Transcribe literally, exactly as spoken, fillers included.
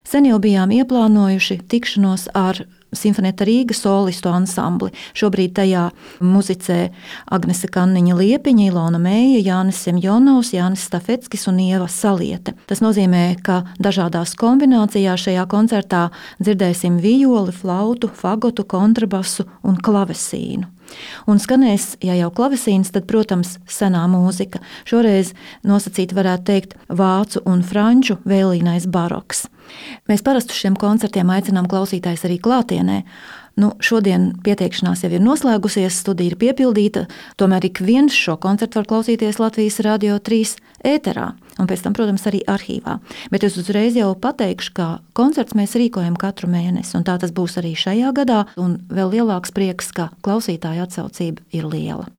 Sen jau bijām ieplānojuši tikšanos ar Simfonēta Rīga solistu ansambli. Šobrīd tajā muzicē Agnese Kanniņa-Liepiņa, Ilona Mēja, Jānis Semjonovs, Jānis Stafeckis un Ieva Saliete. Tas nozīmē, ka dažādās kombinācijās šajā koncertā dzirdēsim vijoli, flautu, fagotu, kontrabasu un klavesīnu. Un skanēs, ja jau klavesīns, tad, protams, senā mūzika. Šoreiz nosacīt varētu teikt vācu un franču vēlīnais baroks. Mēs parasti šiem koncertiem aicinām klausītājs arī klātienē. Nu, šodien pieteikšanās jau ir noslēgusies, studija ir piepildīta, tomēr ik viens šo koncertu var klausīties Latvijas Radio trīs ēterā, un pēc tam, protams, arī arhīvā. Bet es uzreiz jau pateikšu, ka koncerts mēs rīkojam katru mēnesi, un tā tas būs arī šajā gadā, un vēl lielāks prieks, ka klausītāja atsaucība ir liela.